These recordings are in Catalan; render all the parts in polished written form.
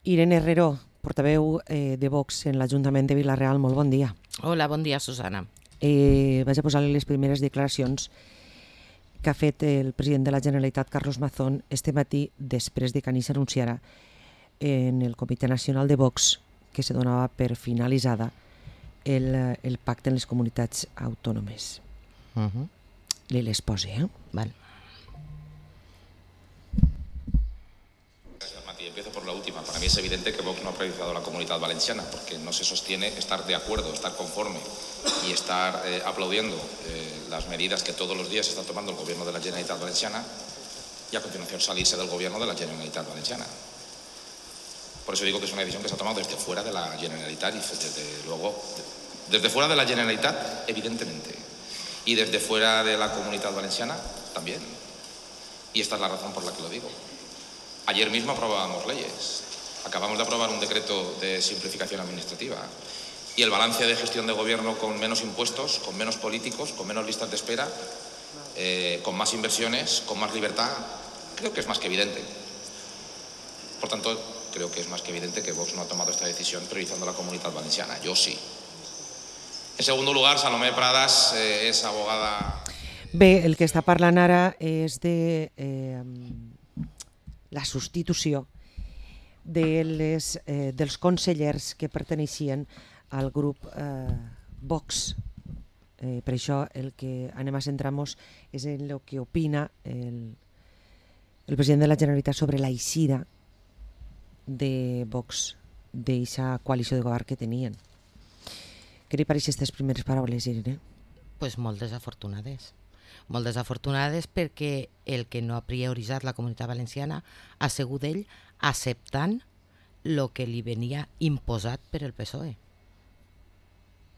Irene Herrero, portaveu de Vox en l'Ajuntament de Vila-real, molt bon dia. Hola, bon dia, Susana. Vaig a posar-li les primeres declaracions que ha fet el president de la Generalitat, Carlos Mazón, este matí, després de que ahir s'anunciara en el Comitè Nacional de Vox que se donava per finalitzada el pacte en les comunitats autònomes. Li les posi, Vale. Empiezo por la última. Para mí es evidente que Vox no ha priorizado la Comunidad Valenciana, porque no se sostiene estar de acuerdo, estar conforme y estar aplaudiendo las medidas que todos los días está tomando el Gobierno de la Generalitat Valenciana y a continuación salirse del Gobierno de la Generalitat Valenciana. Por eso digo que es una decisión que se ha tomado desde fuera de la Generalitat y desde fuera de la Generalitat, evidentemente, y desde fuera de la Comunidad Valenciana también. Y esta es la razón por la que lo digo. Ayer mismo aprobábamos leyes. Acabamos de aprobar un decreto de simplificación administrativa. Y el balance de gestión de gobierno con menos impuestos, con menos políticos, con menos listas de espera, con más inversiones, con más libertad, creo que es más que evidente. Por tanto, creo que es más que evidente que Vox no ha tomado esta decisión priorizando la Comunidad Valenciana. Yo sí. En segundo lugar, Salomé Pradas es abogada... Bé, el que està parlant ara és de la substitució dels consellers que perteneixien al grup Vox. Per això el que anem a centrar-nos és en el que opina el president de la Generalitat sobre la eixida de Vox d'aquesta coalició de govern que tenien. Què li pareixen aquestes primeres paraules, Irene? Pues molt desafortunades. Molt desafortunades perquè el que no ha prioritzat la Comunitat Valenciana ha sigut ell acceptant el que li venia imposat per el PSOE.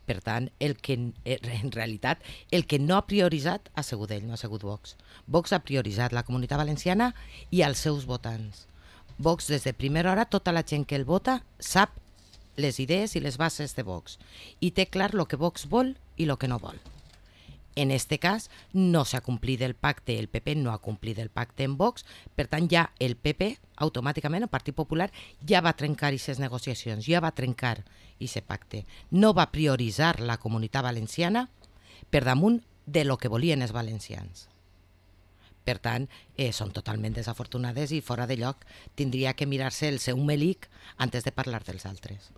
Per tant, en realitat, el que no ha prioritzat ha sigut ell, no ha sigut Vox. Vox ha prioritzat la Comunitat Valenciana i els seus votants. Vox, des de primera hora, tota la gent que el vota sap les idees i les bases de Vox i té clar el que Vox vol i el que no vol. En este cas, no s'ha complit el pacte, el PP no ha complit el pacte en Vox, per tant, ja el PP, automàticament, el Partit Popular, ja va trencar aquestes negociacions, ja va trencar aquest pacte. No va prioritzar la Comunitat Valenciana per damunt de lo que volien els valencians. Per tant, són totalment desafortunades i fora de lloc tindria que mirar-se el seu melic antes de parlar dels altres.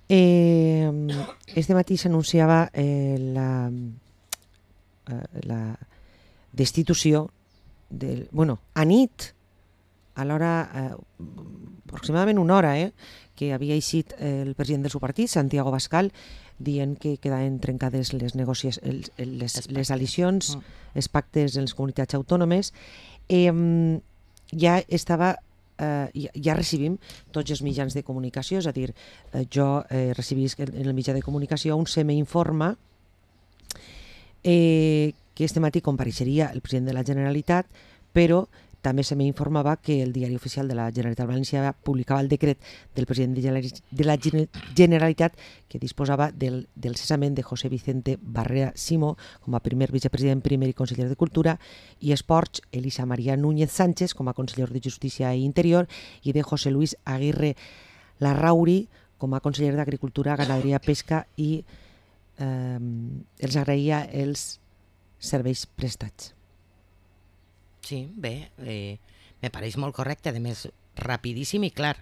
Este matí s'anunciava la destitució a nit, a l'hora, aproximadament una hora, que havia eixit el president del seu partit, Santiago Abascal, dient que quedaven trencades les negociacions, les alicions, els pactes en les comunitats autònomes. Ja estava... ja recibim tots els mitjans de comunicació, és a dir, jo recibisc en el mitjà de comunicació on se m'informa que este matí compareixeria el president de la Generalitat, però també se m'informava que el Diari Oficial de la Generalitat Valenciana publicava el decret del president de la Generalitat que disposava del cessament de José Vicente Barrera Simó com a primer vicepresident primer i conseller de Cultura i Esports, Elisa María Núñez Sánchez com a conseller de Justícia i Interior i de José Luis Aguirre Larrauri com a conseller d'Agricultura, Ganaderia, Pesca i els agraïa els serveis prestats. Sí, bé, me pareix molt correcte, a més, rapidíssim i clar.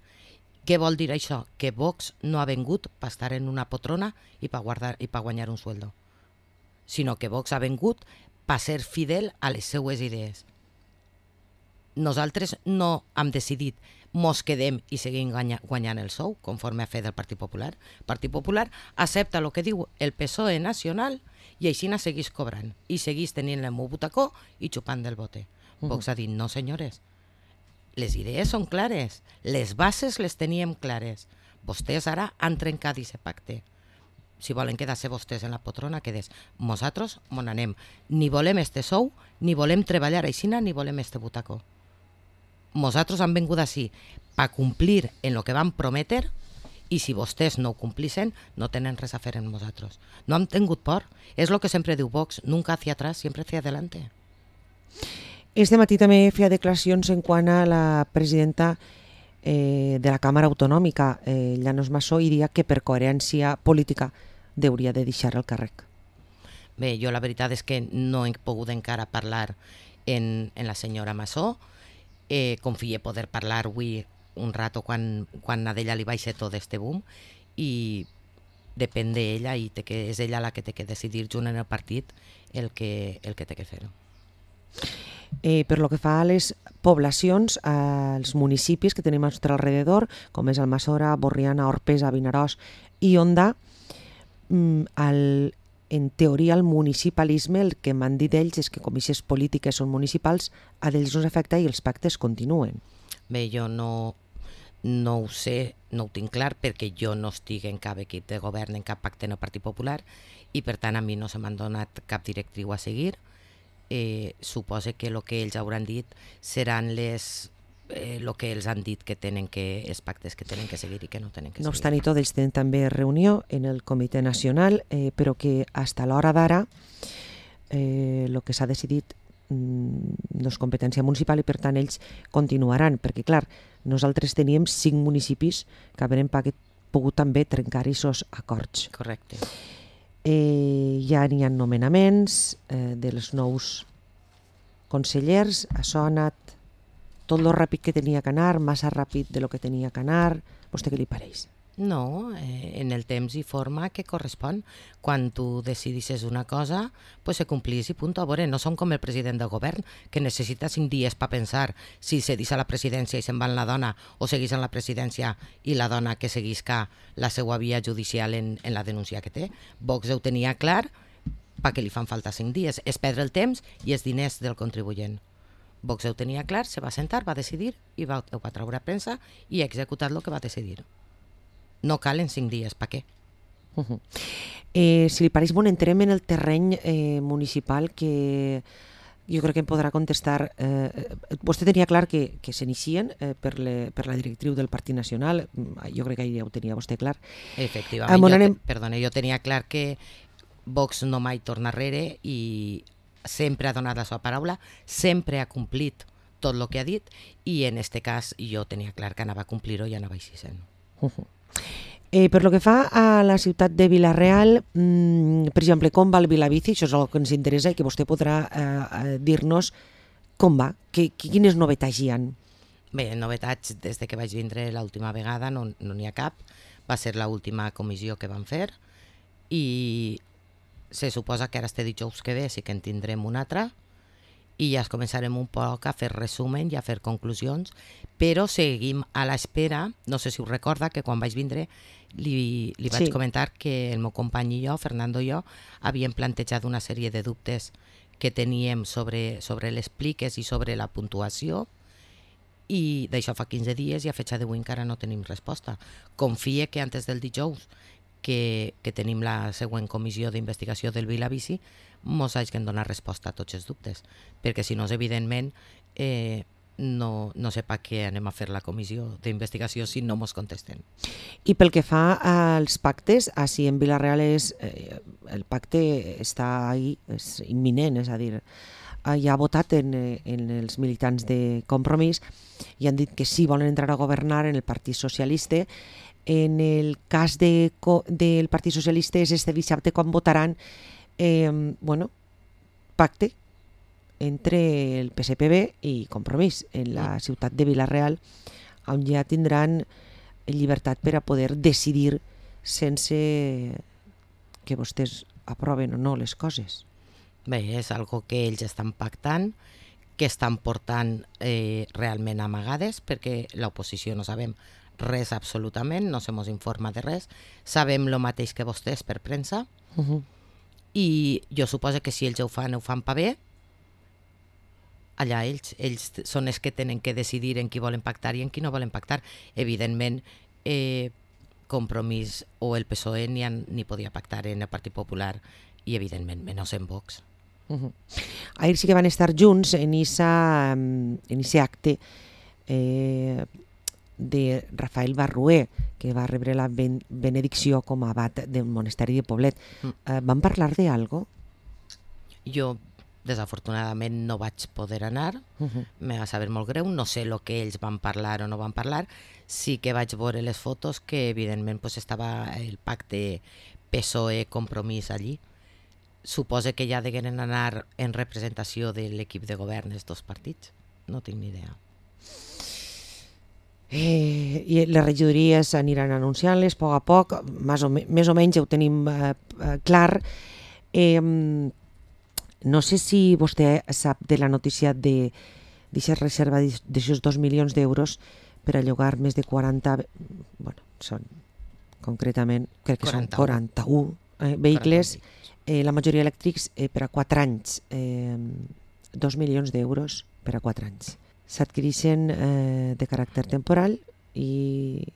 Què vol dir això? Que Vox no ha vengut per estar en una poltrona i per guanyar un sueldo, sinó que Vox ha vengut per ser fidel a les seues idees. Nosaltres no hem decidit mos quedem i seguim guanyant el sou, conforme ha fet el Partit Popular. El Partit Popular accepta el que diu el PSOE nacional i així segueix cobrant i segueix tenint el meu butacó i xupant del bote. Vox ha dit, no senyores, les idees són clares, les bases les teníem clares. Vostès ara han trencat aquest pacte. Si volen quedar-se vostès en la poltrona, quedes. Nosaltres mon anem. Ni volem este sou, ni volem treballar aixina, ni volem este butacó. Nosaltres han vengut així per complir en el que vam prometer i si vostès no ho complixen, no tenen res a fer amb nosaltres. No hem tingut por. És el que sempre diu Vox, nunca hacia atrás, siempre hacia adelante. Este matí també feia declaracions en quant a la presidenta de la Càmera Autonòmica, Llanos Massó, i dia que per coherència política hauria de deixar el càrrec. Bé, jo la veritat és que no he pogut encara parlar en la senyora Massó. Confie poder parlar avui un rato quan a ella li baixa tot este boom, i depèn d'ella, i és ella la que té que decidir junt en el partit el que té que fer. Per lo que fa a les poblacions, als municipis que tenim a nostre alrededor, com és Almassora, Borriana, Orpesa, Vinaròs i Onda, en teoria el municipalisme, el que m'han dit ells és que com aquestes polítiques són municipals, a ells no s'afecta i els pactes continuen. Bé, jo no ho sé, no ho tinc clar, perquè jo no estic en cap equip de govern, en cap pacte en el Partit Popular, i per tant a mi no se m'han donat cap directriu a seguir. Suposo que el que ells hauran dit seran el que ells han dit que tenen els pactes que tenen que seguir i que no tenen que seguir. No obstant i tot, ells tenen també reunió en el Comitè Nacional, però que fins a l'hora d'ara el que s'ha decidit no és competència municipal i per tant ells continuaran, perquè clar, nosaltres teníem 5 municipis que haurem pogut també trencar aquests acords. Correcte. Ja n'hi ha nomenaments dels nous consellers, això ha anat tot lo ràpid que tenia que anar, massa ràpid de lo que tenia que anar. Vostè què li pareix? No, en el temps i forma que correspon. Quan tu decidisses una cosa, pues se complís i punt. A veure, no som com el president del govern, que necessita 5 dies per pensar si cedís a la presidència i se'n va en la dona, o seguís en la presidència i la dona que seguisca la seva via judicial en la denúncia que té. Vox ho tenia clar, perquè li fan falta 5 dies. És perdre el temps i els diners del contribuent. Vox ho tenia clar, se va sentar, va decidir, i ho va treure a premsa i ha executat el que va decidir. No calen 5 dies, per què? Si li pareix, entrem en el terreny municipal, que jo crec que em podrà contestar. Vostè tenia clar que s'inicien per la directriu del Partit Nacional, jo crec que ja ho tenia vostè clar. Efectivament, jo tenia clar que Vox no mai torna enrere i sempre ha donat la seva paraula, sempre ha complit tot el que ha dit, i en aquest cas jo tenia clar que anava a complir-ho i anava així sent. Per lo que fa a la ciutat de Vila-real, per exemple, com va el Vilabici? Això és el que ens interessa i que vostè podrà dir-nos com va, quines novetats hi ha. Bé, novetats des que vaig vindre l'última vegada no n'hi ha cap. Va ser l'última comissió que vam fer i se suposa que ara este dijous que ve sí que en tindrem una altra i ja començarem un poc a fer resumen i a fer conclusions, però seguim a l'espera. No sé si us recorda que quan vaig vindre li vaig comentar que el meu company i jo, Fernando i jo, havíem plantejat una sèrie de dubtes que teníem sobre les pliques i sobre la puntuació, i d'això fa 15 dies i a fecha d'avui encara no tenim resposta. Confie que antes del dijous que tenim la següent comissió d'investigació del Vilabici mos hagin donat resposta a tots els dubtes, perquè si no, evidentment, no sé per què anem a fer la comissió d'investigació si no mos contesten. I pel que fa als pactes, així en Vila-real el pacte està ahí, és imminent, és a dir, ja ha votat en els militants de Compromís i han dit que sí volen entrar a governar en el Partit Socialista. En el cas del Partit Socialista és este dissabte quan votaran pacte entre el PSPB i Compromís en la ciutat de Vila-real, on ja tindran llibertat per a poder decidir sense que vostès aproven o no les coses. Bé, és algo que ells estan pactant, que estan portant realment amagades, perquè l'oposició no sabem res absolutament, no se mos informa de res, sabem el mateix que vostès per premsa, i jo suposo que si ells ho fan per bé, allà ells són els que tenen que decidir en qui volen pactar i en qui no volen pactar. Evidentment, Compromís o el PSOE ni podia pactar en el Partit Popular i evidentment menys en Vox. Ahir sí que van estar junts en aquest acte de Rafael Barrué, que va rebre la benedicció com a abat del monasteri de Poblet. Van parlar d'algo? Jo Desafortunadament no vaig poder anar, me va saber molt greu, no sé el que ells van parlar o no van parlar, sí que vaig veure les fotos que evidentment pues, estava el pacte PSOE-Compromís allí. Suposo que ja degueren anar en representació de l'equip de govern dels dos partits, no tinc ni idea. I les regidories aniran anunciant-les a poc, més o menys ja ho tenim clar. No sé si vostè sap de la notícia d'aquesta reserva d'aixòs 2 milions d'euros per a llogar més de 40, bueno, són concretament, crec que 41. Són 41 vehicles, la majoria elèctrics per a 4 anys, 2 milions d'euros per a 4 anys. S'adquireixen de caràcter temporal i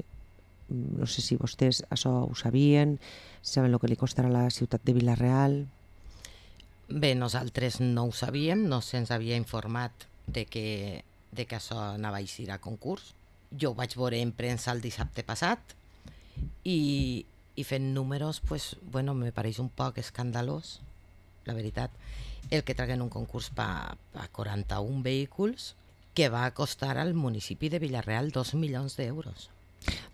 no sé si vostès això ho sabien, saben el que li costarà a la ciutat de Vila-real. Bé, nosaltres no ho sabíem, no se'ns havia informat de que això anava a eixir a concurs. Jo ho vaig veure en premsa el dissabte passat i fent números, pues, bueno, me pareix un poc escandalós, la veritat, el que traguen un concurs per 41 vehicles que va costar al municipi de Vila-real 2 milions d'euros.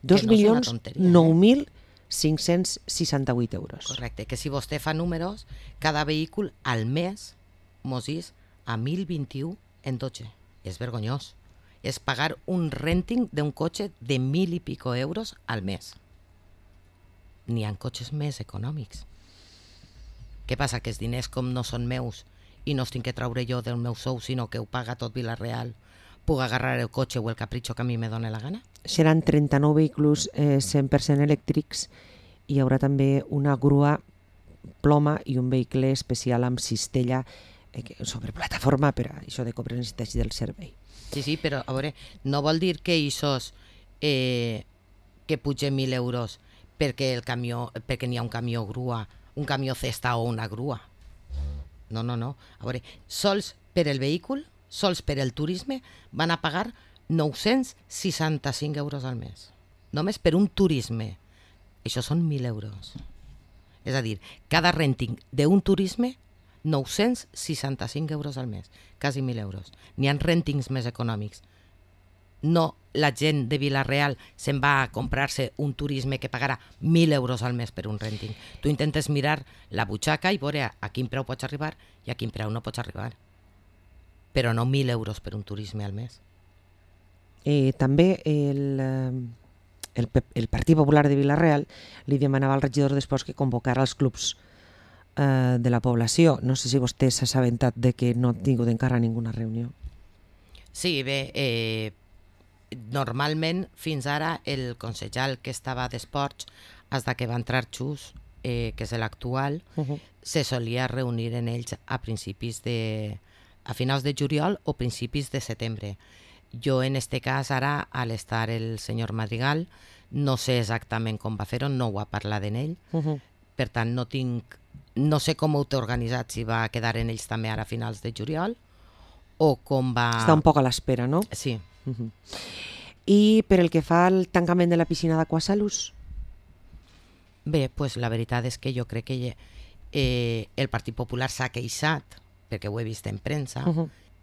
2.009.568 euros. Correcte, que si vostè fa números, cada vehicle al mes mos és a 1.021 en 12. És vergonyós. És pagar un renting d'un cotxe de 1.000 i pico euros al mes. N'hi ha cotxes més econòmics. Què passa? Que els diners com no són meus i no els tinc que traure jo del meu sou, sinó que ho paga tot Vila-real, puc agarrar el cotxe o el capritxo que a mi me dóna la gana? Seran 39 vehicles 100% elèctrics i hi haurà també una grua ploma i un vehicle especial amb cistella sobre plataforma per a això de cobrar necessitats del servei. Sí, però a veure, no vol dir que això que pugen 1.000 euros perquè n'hi ha un camió grua, un camió cesta o una grua. No. A veure, sols per el vehicle, sols per el turisme, van a pagar 965 euros al mes. Només per un turisme. Això són 1.000 euros. És a dir, cada renting d'un turisme, 965 euros al mes. Quasi 1.000 euros. N'hi ha rentings més econòmics. No, la gent de Vila-real se'n va a comprar-se un turisme que pagarà 1.000 euros al mes per un renting. Tu intentes mirar la butxaca i veure a quin preu pots arribar i a quin preu no pots arribar. Però no 1.000 euros per un turisme al mes. També el Partit Popular de Vila-real li demanava al regidor d'Esports que convocara els clubs de la població. No sé si vostè s'ha assabentat de que no ha tingut encara ninguna reunió. Sí, bé, normalment fins ara el consellal que estava d'Esports, fins que va entrar Xus, que és l'actual, se solia reunir en ells a finals de juliol o principis de setembre. Jo en este cas ara, al estar el senyor Madrigal, no sé exactament com va fer-ho, no ho ha parlat en ell, per tant no sé com ho té organitzat, si va quedar en ells també ara a finals de juliol o com va... Està un poc a l'espera, no? Sí. I per el que fa al tancament de la piscina d'Aquasalus? Bé, pues la veritat és que jo crec que el Partit Popular s'ha queixat, perquè ho he vist en premsa,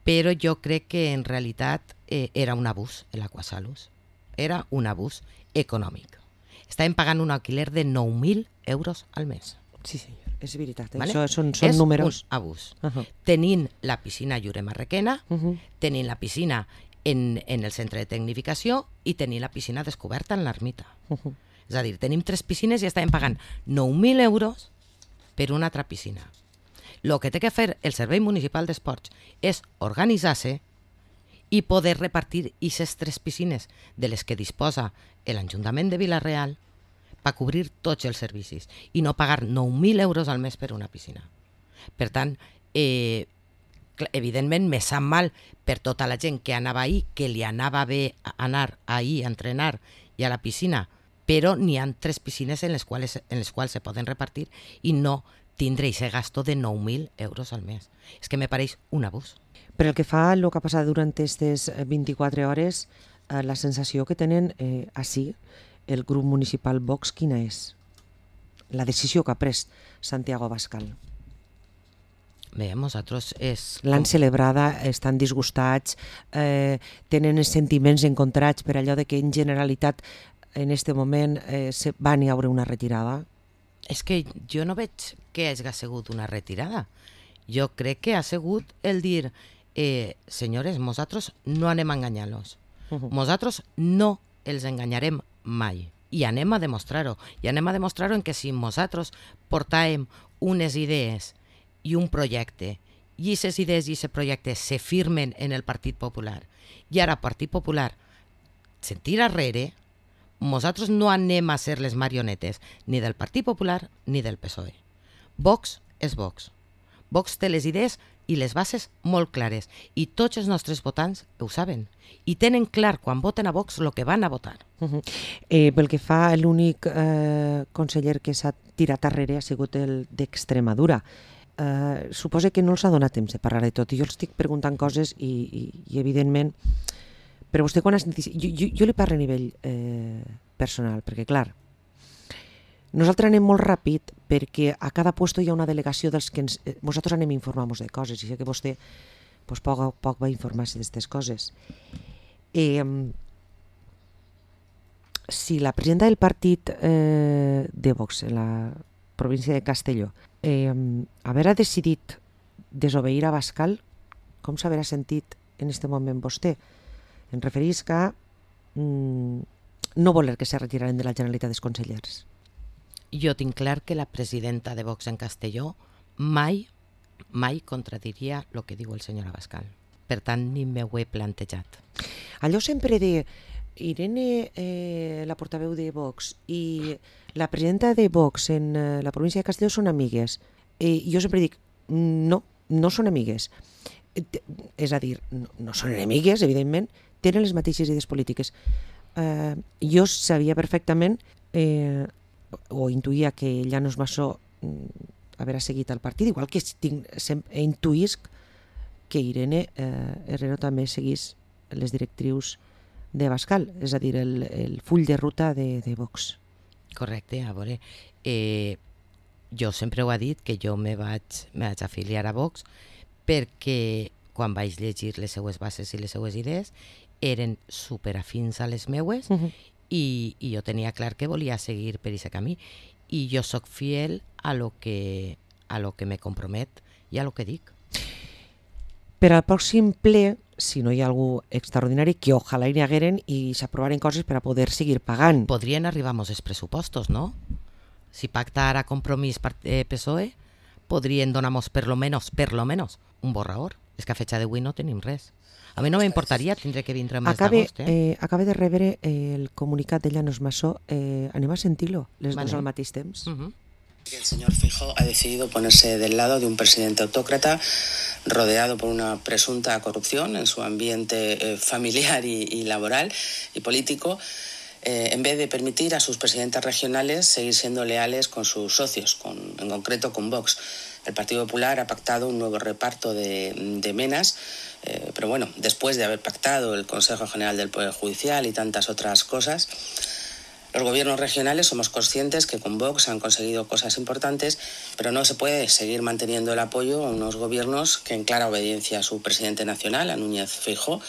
però jo crec que en realitat era un abús l'Aquasalus. Era un abús econòmic. Estàvem pagant un alquiler de 9.000 euros al mes. Sí, senyor, és veritat. Vale? Això són és números. És un abús. Tenint la piscina Lloret Marrequena, tenint la piscina en el centre de tecnificació i tenint la piscina descoberta en l'ermita. És a dir, tenim 3 piscines i estàvem pagant 9.000 euros per una altra piscina. El que té que fer el Servei Municipal d'Esports és organitzar-se i poder repartir aquestes 3 piscines de les que disposa l'Ajuntament de Vila-real per cobrir tots els servicis i no pagar 9.000 euros al mes per una piscina. Per tant, evidentment me sap mal per tota la gent que anava ahir, que li anava bé anar ahir a entrenar i a la piscina, però n'hi ha 3 piscines en les quals se poden repartir i no tindre aquest gasto de 9.000 euros al mes. És que me pareix un abús. Per el que fa a el que ha passat durant aquestes 24 hores, la sensació que tenen així el grup municipal Vox, quina és? La decisió que ha pres Santiago Abascal. Bé, nosaltres és... L'han celebrada, estan disgustats, tenen sentiments encontrats per allò de que en Generalitat en este moment van hi haure una retirada. És que jo no veig que hagi sigut una retirada. Jo crec que ha sigut el dir senyores, nosaltres no anem a enganyar-los. Nosaltres no els enganyarem mai. I anem a demostrar-ho. I anem a demostrar-ho en que si nosaltres portàvem unes idees i un projecte, i aquestes idees i aquest projecte se firmen en el Partit Popular, i ara el Partit Popular se'n tira arrere, nosaltres no anem a ser les marionetes ni del Partit Popular ni del PSOE. Vox és Vox. Vox té les idees i les bases molt clares, i tots els nostres votants ho saben, i tenen clar quan voten a Vox el que van a votar. Pel que fa, l'únic conseller que s'ha tirat arrere ha sigut el d'Extremadura. Suposo que no els ha donat temps de parlar de tot, i jo els estic preguntant coses i evidentment, però vostè quan has sentit... Jo li parlo a nivell personal, perquè clar, nosaltres anem molt ràpid perquè a cada puesto hi ha una delegació dels que nosaltres anem a informar-nos de coses, i sé que vostè poc va informar-se d'aquestes coses. Si la presidenta del partit de Vox en la província de Castelló haver decidit desobeir a Bascal, com s'haurà sentit en aquest moment vostè? Em referís a no voler que se retiraren de la Generalitat dels consellers. Jo tinc clar que la presidenta de Vox en Castelló mai contradiria el que diu el senyor Abascal. Per tant, ni m'ho he plantejat. Allò sempre de Irene, la portaveu de Vox, i la presidenta de Vox en la província de Castelló són amigues. Jo sempre dic, no són amigues. És a dir, no són enemigues, evidentment, tenen les mateixes idees polítiques. Jo sabia perfectament, o intuïa que Llanos Massó haver seguit el partit, igual que intuïsc que Irene Herrero també seguís les directrius de Bascal, és a dir, el full de ruta de Vox. Correcte, a veure, jo sempre ho he dit que jo me vaig afiliar a Vox perquè quan vaig llegir les seues bases i les seues idees eren superafins a les meues i jo tenia clar que volia seguir per aquest camí, i jo sóc fiel a lo que me compromet i a lo que dic. Per al pròxim ple, si no hi ha algú extraordinari, que ojalà hi hagueren i s'aprovaren coses per a poder seguir pagant. Podrien arribar-nos els pressupostos, no? Si pacta ara Compromís PSOE, podrien donar-nos per lo menos un borrador. És que a fecha d'avui no tenim res. A mi no m'importaria tindre que vindre el mes d'agost. Acaba de rebre el comunicat de Llanos Massó. Anem a sentir-lo, les dos al mateix temps. El señor Feijóo ha decidido ponerse del lado de un presidente autócrata rodeado por una presunta corrupción en su ambiente familiar y laboral y político, en vez de permitir a sus presidentes regionales seguir siendo leales con sus socios, en concreto con Vox. El Partido Popular ha pactado un nuevo reparto de menas, pero bueno, después de haber pactado el Consejo General del Poder Judicial y tantas otras cosas, los gobiernos regionales somos conscientes que con Vox han conseguido cosas importantes, pero no se puede seguir manteniendo el apoyo a unos gobiernos que en clara obediencia a su presidente nacional, a Núñez Feijóo,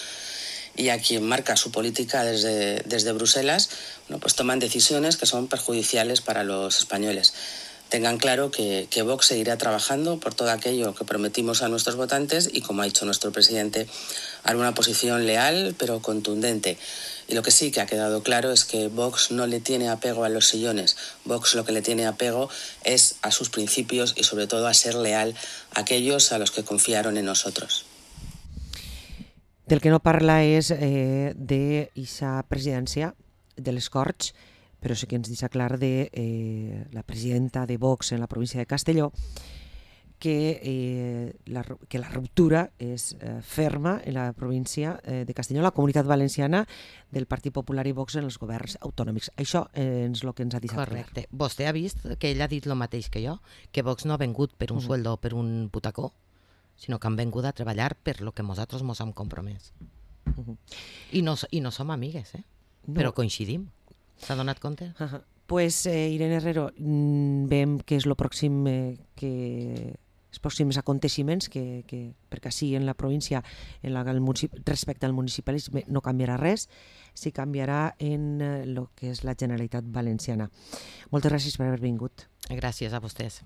y a quien marca su política desde Bruselas, pues toman decisiones que son perjudiciales para los españoles. Tengan claro que Vox seguirá trabajando por todo aquello que prometimos a nuestros votantes y, como ha dicho nuestro presidente, hará una posición leal pero contundente. Y lo que sí que ha quedado claro es que Vox no le tiene apego a los sillones. Vox lo que le tiene apego es a sus principios y sobre todo a ser leal a aquellos a los que confiaron en nosotros. Del que no parla és d'eixa presidència de les Corts, però sí que ens deixa clar de la presidenta de Vox en la província de Castelló, que la ruptura és ferma en la província de Castelló, la Comunitat Valenciana, del Partit Popular i Vox en els governs autonòmics. Això és el que ens ha deixat clar. Correcte. Vostè ha vist que ell ha dit el mateix que jo, que Vox no ha vengut per un sueldo o per un butacó, sinó que han vengut a treballar per lo que nosaltres mos hem compromès. I no som amigues, però coincidim. S'ha donat compte? Pues Irene Herrero, veiem que és el pròxim que els pròxims aconteixements, perquè sí, en la província respecte al municipalisme no canviarà res, sí canviarà en el que és la Generalitat Valenciana. Moltes gràcies per haver vingut. Gràcies a vostès.